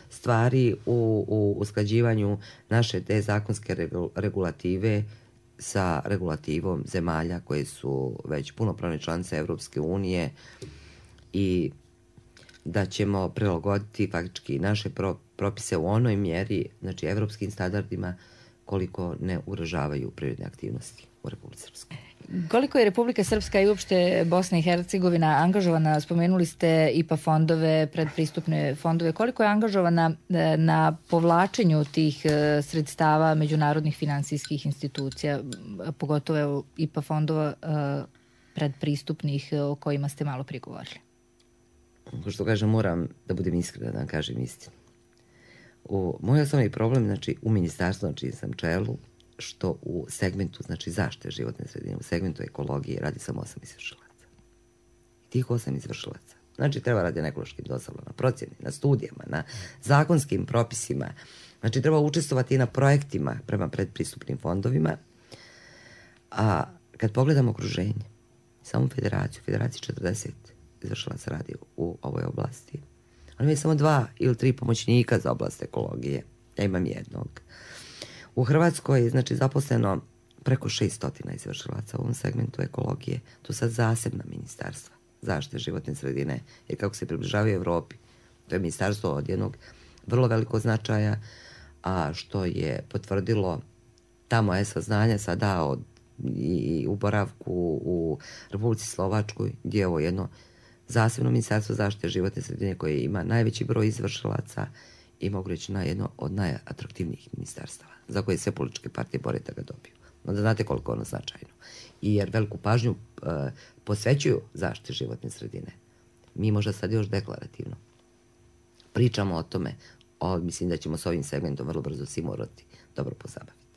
stvari u usklađivanju naše te zakonske regulative sa regulativom zemalja koje su već punopravne članice Evropske unije i da ćemo prilagoditi faktički naše propise u onoj mjeri, evropskim standardima, koliko ne ugrožavaju prirodne aktivnosti u Republici Srpskoj. Koliko je Republika Srpska i uopšte Bosna i Hercegovina angažovana, spomenuli ste IPA fondove, predpristupne fondove, koliko je angažovana na povlačenju tih sredstava međunarodnih finansijskih institucija, pogotovo IPA fondova predpristupnih o kojima ste malo prije govorili? Ko što kažem, moram da budem iskrena, da vam kažem istinu. Moj osnovni problem, znači u ministarstvu, znači sam čelu, što u segmentu, znači zaštite životne sredine, u segmentu ekologije radi samo 8 izvršilaca. I tih 8 izvršilaca, znači treba radi na ekološkim dozvolama, na procjeni, na studijama, na zakonskim propisima, znači treba učestvovati i na projektima prema predpristupnim fondovima, a kad pogledamo okruženje, samo federaciji 40 izvršilaca radi u ovoj oblasti. Oni imaju samo 2 ili 3 pomoćnika za oblast ekologije. Ja imam jednog. U Hrvatskoj je znači zaposleno preko 600 izvršilaca u ovom segmentu ekologije. To sad zasebna ministarstva zaštite životne sredine, jer kako se približavaju Evropi, to je ministarstvo od jednog vrlo velikog značaja, a što je potvrdilo ta moja saznanja sada od i u boravku u Republici Slovačkoj, gdje je ovo jedno zasebno ministarstvo zaštite životne sredine koje ima najveći broj izvršilaca i mogu reći na jedno od najatraktivnijih ministarstava za koje sve političke partije bore da ga dobiju. Onda znate koliko je ono značajno. I jer veliku pažnju posvećuju zaštiti životne sredine. Mi možda sad još deklarativno pričamo o tome, mislim da ćemo s ovim segmentom vrlo brzo svi morati dobro pozabaviti.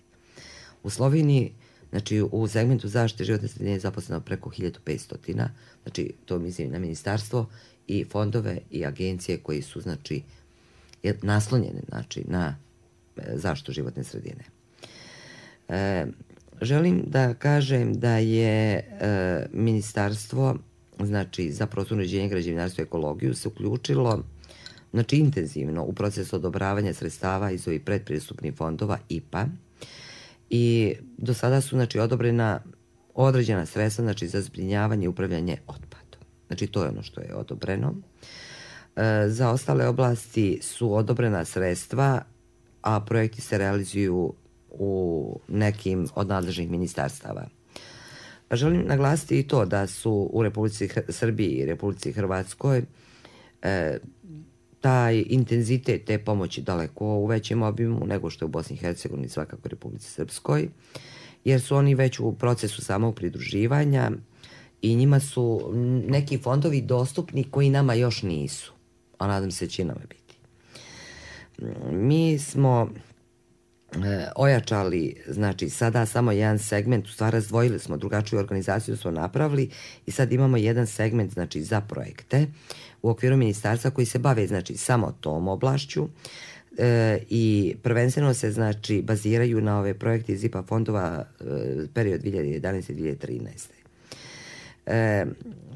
U Sloveniji, znači u segmentu zaštite životne sredine je zaposleno preko 1500, znači to mislim na ministarstvo i fondove i agencije koji su znači naslonjene znači na zaštitu životne sredine. Želim da kažem da je ministarstvo znači za prostorno uređenje, građevinarstvo i ekologiju se uključilo znači intenzivno u proces odobravanja sredstava iz ovih predpristupnih fondova IPA i do sada su znači odobrena određena sredstva znači za zbrinjavanje i upravljanje otpadom. Znači to je ono što je odobreno. Za ostale oblasti su odobrena sredstva, a projekti se realizuju u nekim od nadležnih ministarstava. Želim naglasiti i to da su u Republici Srbiji i Republici Hrvatskoj taj intenzitet te pomoći daleko u većem obimu nego što je u Bosni i Hercegovini, svakako u Republici Srpskoj, jer su oni već u procesu samog pridruživanja i njima su neki fondovi dostupni koji nama još nisu, a nadam se će nama biti. Mi smo ojačali, znači sada samo jedan segment, u stvari razdvojili smo, drugačiju organizaciju smo napravili i sad imamo jedan segment znači za projekte u okviru ministarstva koji se bave znači samo tom oblašću i prvenstveno se znači baziraju na ove projekte iz IPA fondova period 2011-2013.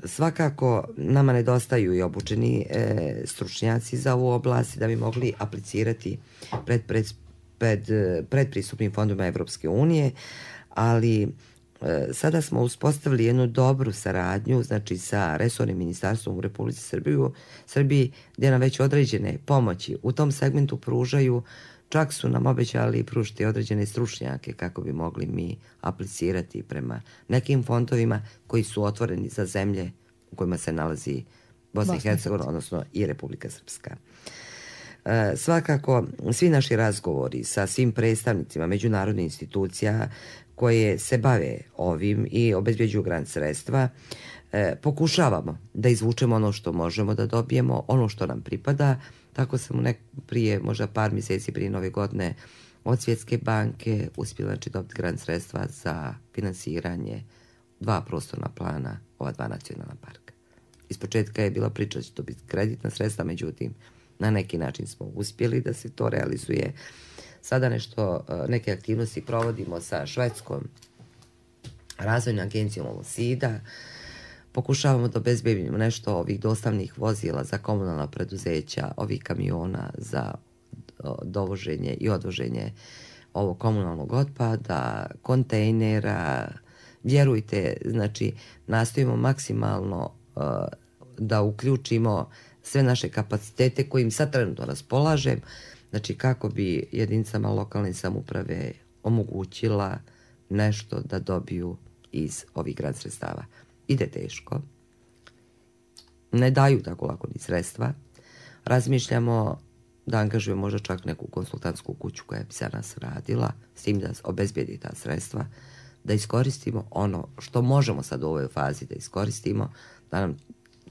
Svakako nama nedostaju i obučeni stručnjaci za ovu oblast da bi mogli aplicirati predpristupnim fondovima Evropske unije, ali sada smo uspostavili jednu dobru saradnju znači sa resornim ministarstvom u Republici Srbiji gdje nam već određene pomoći u tom segmentu pružaju, čak su nam obećali pružiti određene stručnjake kako bi mogli mi aplicirati prema nekim fondovima koji su otvoreni za zemlje u kojima se nalazi Bosna i Hercegovina, odnosno i Republika Srpska. Svakako, svi naši razgovori sa svim predstavnicima međunarodnih institucija koje se bave ovim i obezbjeđuju grant sredstva, pokušavamo da izvučemo ono što možemo da dobijemo, ono što nam pripada. Tako sam prije, možda par mjeseci prije Nove godine, od Svjetske banke uspjela znači dobiti grant sredstva za finansiranje 2 prostorna plana, ova 2 nacionalna parka. Ispočetka je bila priča da će to biti kreditna sredstva, međutim, na neki način smo uspjeli da se to realizuje. Sada neke aktivnosti provodimo sa švedskom razvojnom agencijom SIDA. Pokušavamo da obezbedimo nešto ovih dostavnih vozila za komunalna preduzeća, ovih kamiona za dovoženje i odvoženje ovog komunalnog otpada, kontejnera. Vjerujte, znači, nastojimo maksimalno da uključimo sve naše kapacitete kojim sad trenutno raspolažem, znači kako bi jedinicama lokalne samouprave omogućila nešto da dobiju iz ovih grant sredstava. Ide teško, ne daju tako lako ni sredstva, razmišljamo da angažujemo možda čak neku konsultantsku kuću koja bi za nas radila, s tim da obezbedi ta sredstva, da iskoristimo ono što možemo sad u ovoj fazi da iskoristimo, da nam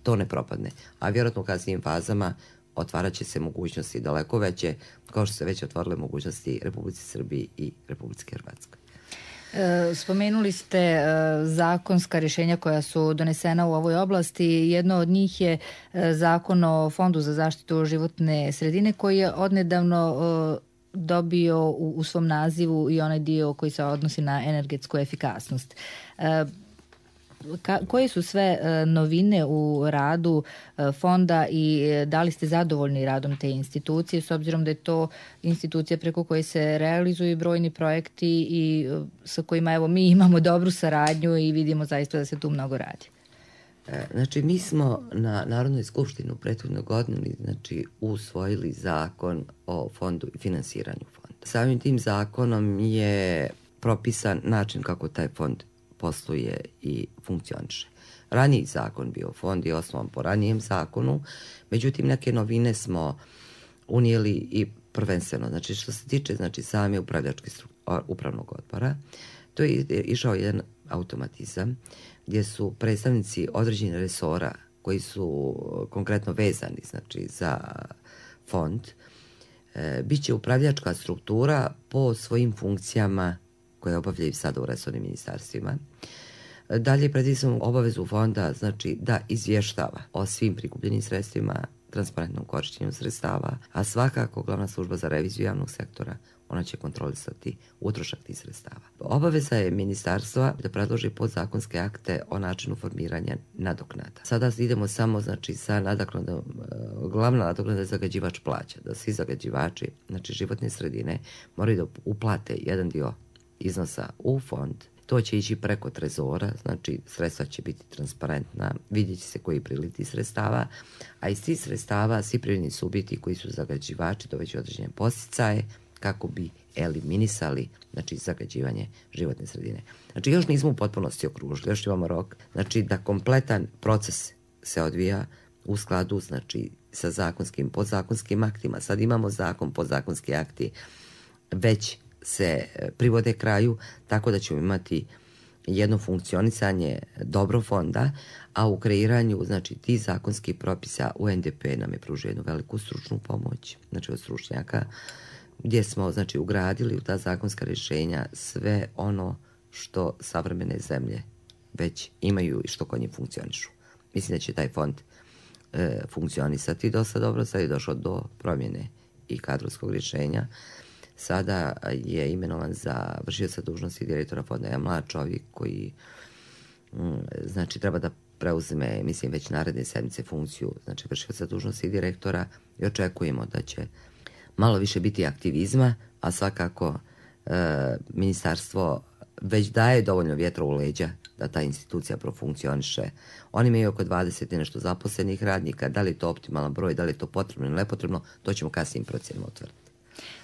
to ne propadne. A vjerojatno u kasnijim fazama otvarat će se mogućnosti daleko veće, kao što se već otvorile mogućnosti Republici Srbiji i Republici Hrvatskoj. Spomenuli ste zakonska rješenja koja su donesena u ovoj oblasti. Jedno od njih je Zakon o Fondu za zaštitu životne sredine koji je odnedavno dobio u svom nazivu i onaj dio koji se odnosi na energetsku efikasnost. Koje su sve novine u radu fonda i da li ste zadovoljni radom te institucije, s obzirom da je to institucija preko koje se realizuju brojni projekti i sa kojima evo mi imamo dobru saradnju i vidimo zaista da se tu mnogo radi? Znači, mi smo na Narodnoj skupštini u prethodnoj godini usvojili zakon o fondu i finansiranju fonda. Samim tim zakonom je propisan način kako taj fond posluje i funkcioniše. Raniji zakon bio fond je osnovan po ranijem zakonu, međutim neke novine smo unijeli i prvenstveno, znači što se tiče same upravljačke upravnog odbora, to je išao jedan automatizam gdje su predstavnici određenih resora koji su konkretno vezani za fond, bit će upravljačka struktura po svojim funkcijama koje obavljaju sada u resornim ministarstvima. Dalje predviđamo obavezu fonda da izvještava o svim prikupljenim sredstvima, transparentnom korištenju sredstava, a svakako glavna služba za reviziju javnog sektora, ona će kontrolisati utrošak tih sredstava. Obaveza je ministarstva da predloži podzakonske akte o načinu formiranja nadoknada. Sada idemo samo sa nadoknadom, glavna nadoknada je zagađivač plaća, da svi zagađivači, životne sredine, moraju da uplate jedan dio iznosa u fond. To će ići preko trezora, sredstva će biti transparentna, vidjet će se koji priliti sredstava, a iz tih sredstava svi privredni subjekti koji su zagađivači doveći određene podsticaje kako bi eliminisali zagađivanje životne sredine. Još nismo u potpunosti okružili, još imamo rok, da kompletan proces se odvija u skladu sa zakonskim, podzakonskim aktima. Sad imamo zakon, podzakonski akti već se privode kraju, tako da ćemo imati jedno funkcionisanje dobro fonda, a u kreiranju tih zakonskih propisa UNDP nam je pružio jednu veliku stručnu pomoć, od stručnjaka, gdje smo ugradili u ta zakonska rješenja sve ono što savremene zemlje već imaju i što kod njih funkcionišu. Mislim da će taj fond funkcionisati dosta dobro. Sad je došlo do promjene i kadrovskog rješenja. Sada je imenovan za vršioca dužnosti direktora fonda jedan mlad čovjek koji treba da preuzme, mislim, već naredne sedmice funkciju vršioca dužnosti direktora i očekujemo da će malo više biti aktivizma, a svakako ministarstvo već daje dovoljno vjetra u leđa da ta institucija profunkcioniše. Oni imaju oko 20 i nešto zaposlenih radnika, da li je to optimalan broj, da li je to potrebno ili nepotrebno, to ćemo kasnijim procjenama utvrditi.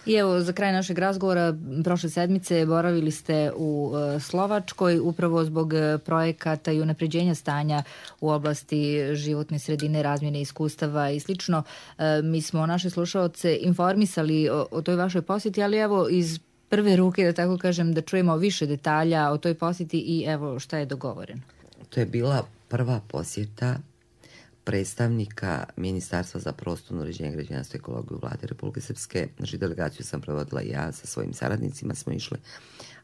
I evo, za kraj našeg razgovora, prošle sedmice boravili ste u Slovačkoj upravo zbog projekata i unapređenja stanja u oblasti životne sredine, razmjene iskustava i slično. Mi smo naše slušaoce informisali o toj vašoj posjeti, ali evo iz prve ruke, da tako kažem, da čujemo više detalja o toj posjeti i evo šta je dogovoreno. To je bila prva posjeta predstavnika Ministarstva za prostorno uređenje, građevinarstvo i ekologiju Vlade Republike Srpske. Delegaciju sam provodila ja sa svojim saradnicima, smo išli,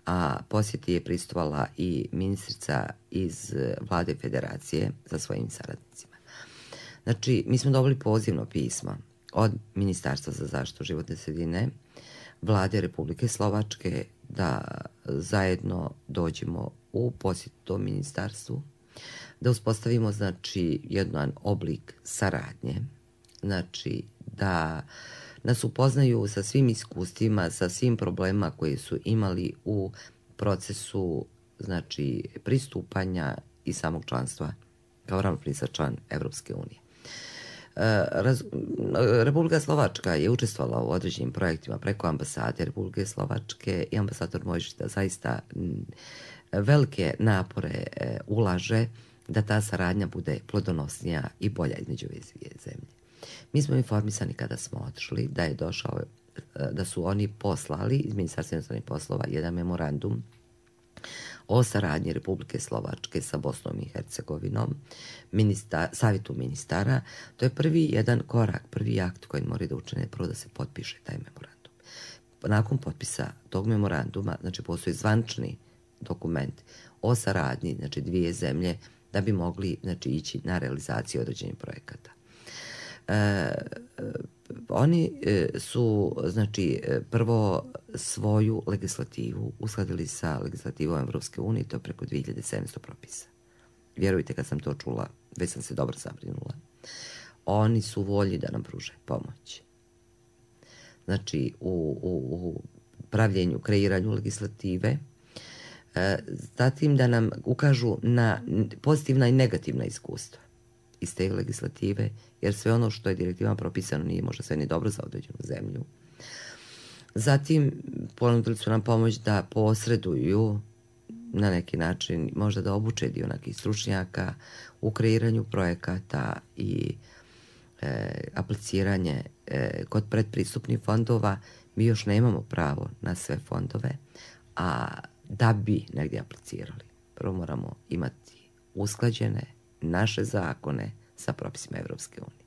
a posjeti je prisustvovala i ministrica iz Vlade Federacije sa svojim saradnicima. Mi smo dobili pozivno pismo od Ministarstva za zaštitu životne sredine, Vlade Republike Slovačke, da zajedno dođemo u posjet tom ministarstvu, da uspostavimo jedan oblik saradnje, da nas upoznaju sa svim iskustvima, sa svim problemima koje su imali u procesu pristupanja i samog članstva kao ravnopravni član Evropske unije. Republika Slovačka je učestvovala u određenim projektima preko ambasade Republike Slovačke i ambasador Mojžić zaista velike napore ulaže da ta saradnja bude plodonosnija i bolja između ove dvije zemlje. Mi smo informisani kada smo otišli da su oni poslali iz Ministarstva inostranih poslova jedan memorandum o saradnji Republike Slovačke sa Bosnom i Hercegovinom, savjetu ministara. To je prvi jedan korak, prvi akt koji moraju da učine, prvo da se potpiše taj memorandum. Nakon potpisa tog memoranduma, znači postoji zvančni dokument o saradnji, znači dvije zemlje, da bi mogli, znači, ići na realizaciju određenih projekata. Oni su, znači, prvo svoju legislativu uskladili sa legislativom Evropske unije, to je preko 2700 propisa. Vjerujte, kad sam to čula, već sam se dobro zabrinula. Oni su volji da nam pruže pomoć. Znači, u pravljenju, kreiranju legislative, zatim da nam ukažu na pozitivna i negativna iskustva iz te legislative, jer sve ono što je direktivama propisano nije možda sve ni dobro za određenu zemlju. Zatim ponudili su nam pomoć da posreduju na neki način, možda da obuče dio nekih stručnjaka u kreiranju projekata i apliciranje kod predpristupnih fondova. Mi još nemamo pravo na sve fondove, a da bi negdje aplicirali, prvo moramo imati usklađene naše zakone sa propisima Evropske unije.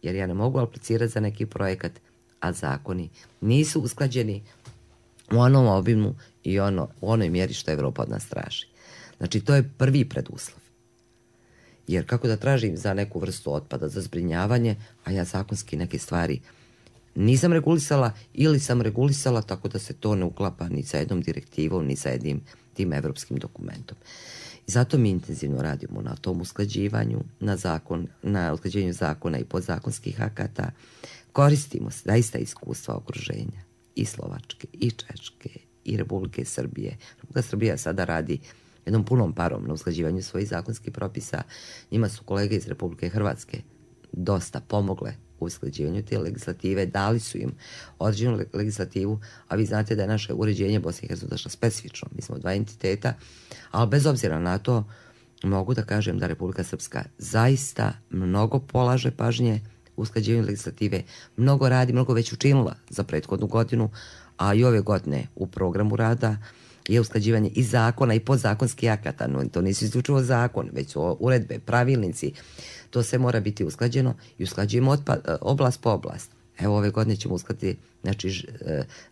Jer ja ne mogu aplicirati za neki projekat, a zakoni nisu usklađeni u onom obimu i u onoj mjeri što Evropa od nas traži. Znači, to je prvi preduslov. Jer kako da tražim za neku vrstu otpada, za zbrinjavanje, a ja zakonski neke stvari nisam regulisala ili sam regulisala tako da se to ne uklapa ni sa jednom direktivom, ni sa jednim tim evropskim dokumentom. I zato mi intenzivno radimo na tom usklađivanju, na usklađenju zakona i podzakonskih akata. Koristimo zaista iskustva okruženja i Slovačke, i Češke, i Republike Srbije. Republika Srbija sada radi jednom punom parom na usklađivanju svojih zakonskih propisa. Njima su kolege iz Republike Hrvatske dosta pomogle u usklađivanju te legislative, dali su im određenu legislativu, a vi znate da je naše uređenje Bosne i Hercegovine došlo specifično. Mi smo dva entiteta, ali bez obzira na to mogu da kažem da Republika Srpska zaista mnogo polaže pažnje u usklađivanju legislative, mnogo radi, mnogo već učinila za prethodnu godinu, a i ove godine u programu rada je usklađivanje i zakona i podzakonskih akata. No, to nisu isključivo zakon, već su uredbe, pravilnici. To sve mora biti usklađeno i usklađujemo oblast po oblast. Evo, ove godine ćemo uskladiti, znači,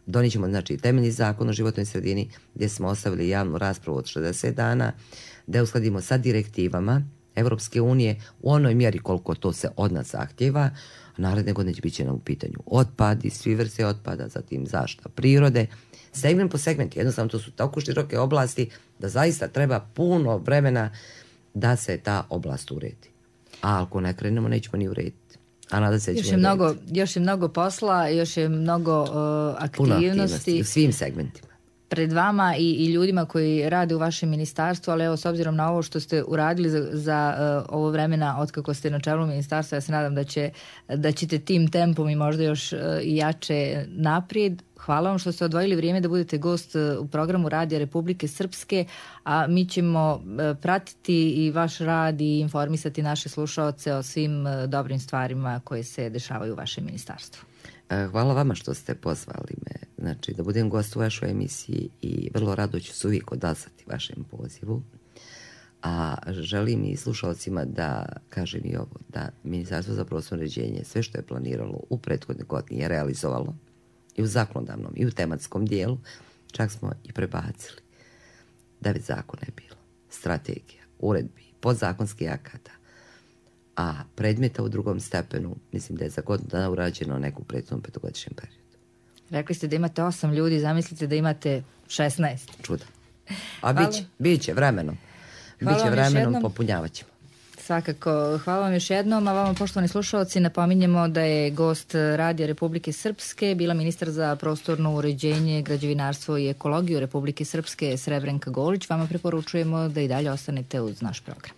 donijet ćemo, znači, temeljni zakon o životnoj sredini, gdje smo ostavili javnu raspravu od 60 dana, da uskladimo sa direktivama Evropske unije u onoj mjeri koliko to se od nas zahtjeva. Naredne godine će biti nam u pitanju otpad i svi vrste otpada, zatim zaštita prirode, segment po segment. Jednostavno, to su tako široke oblasti da zaista treba puno vremena da se ta oblast uredi. A ako ne krenemo, nećemo ni urediti. A nada se još je mnogo posla, još je mnogo aktivnosti u svim segmentima. Pred vama i ljudima koji rade u vašem ministarstvu, ali evo, s obzirom na ovo što ste uradili za ovo vremena otkako ste na čelu ministarstva, ja se nadam da ćete tim tempom i možda još i jače naprijed. Hvala vam što ste odvojili vrijeme da budete gost u programu Radija Republike Srpske, a mi ćemo pratiti i vaš rad i informisati naše slušaoce o svim dobrim stvarima koje se dešavaju u vašem ministarstvu. Hvala vama što ste pozvali me, znači, da budem gost u vašoj emisiji i vrlo rado ću se uvijek odazvati vašem pozivu. A želim i slušalcima da kažem i ovo, da Ministarstvo za prostorno uređenje sve što je planiralo u prethodnoj godini je realizovalo i u zakonodavnom i u tematskom dijelu, čak smo i prebacili. 9 zakona je bilo, strategija, uredbi, podzakonskih akata, a predmeta u drugom stepenu, mislim da je za godinu dana urađeno neku prethodnom petogodišnjem periodu. Rekli ste da imate 8 ljudi, zamislite da imate 16. Čuda. A bit će vremenom. Biće vremenom, popunjavat ćemo. Svakako, hvala vam još jednom, a vama, poštovani slušalci, napominjemo da je gost Radija Republike Srpske bila ministar za prostorno uređenje, građevinarstvo i ekologiju Republike Srpske Srebrenka Golić. Vama preporučujemo da i dalje ostanete uz naš program.